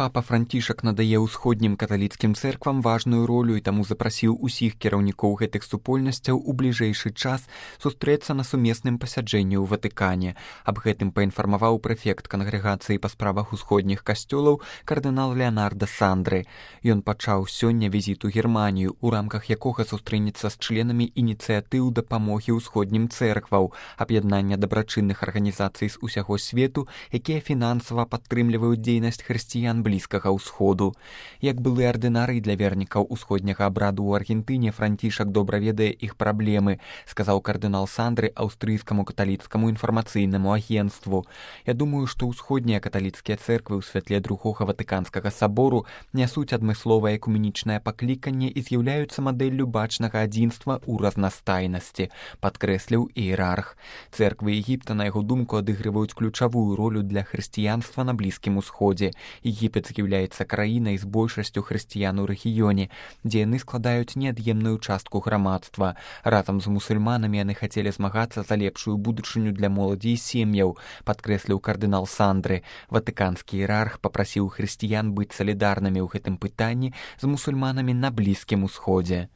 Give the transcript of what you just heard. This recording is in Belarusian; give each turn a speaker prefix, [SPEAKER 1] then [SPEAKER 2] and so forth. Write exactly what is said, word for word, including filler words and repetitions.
[SPEAKER 1] Папа Францішак надае ўсходнім каталіцкім цэрквам важную ролю і таму запрасіў усіх кіраўнікоў гэтых супольнасцяў у бліжэйшы час сустрэцца на сумесным пасяджэнні ў Ватыкане. Аб гэтым паінфармаваў прэфект кангрэгацыі па справах усходніх касцёлаў кардынал Леонардо Сандры. Ён пачаў сёння візіт у Германію, у рамках якога сустрэнецца з членамі ініцыятыў дапамогі ўсходнім цэркваў, аб'яднання дабрачынных арганізацый з усяго свету, якія фінансава падтрымліваюць дзейнасць хрысціян Блізкага ўсходу. Як былы ардынарый для вернікаў усходняга абраду ў Аргентыне, Францішак добра ведае іх праблемы, сказаў кардынал Сандры аўстрыйскаму каталіцкаму інфармацыйнаму агенцтву. Я думаю, што ўсходнія каталіцкія цэрквы ў святле другога Ватыканскага сабору нясуць адмысловае экуменічнае пакліканне і з'яўляюцца мадэллю бачнага адзінства ў разнастайнасці, падкрэсліў іерарх. Цэрквы Егіпта, на яго думку, адыгрываюць ключавую ролю для хрысціянства на Блізкім усходзе. Егіпет з'яўляецца краінай з большасцю хрысціян у рэгіёне, дзе яны складаюць неад'емную частку грамадства. Разам з мусульманамі яны хацелі змагацца за лепшую будучыню для моладзі і сем'яў, падкрэсліў кардынал Сандры. Ватыканскі іерарх папрасіў хрысціян быць салідарнымі ў гэтым пытанні з мусульманамі на Блізкім усходзе.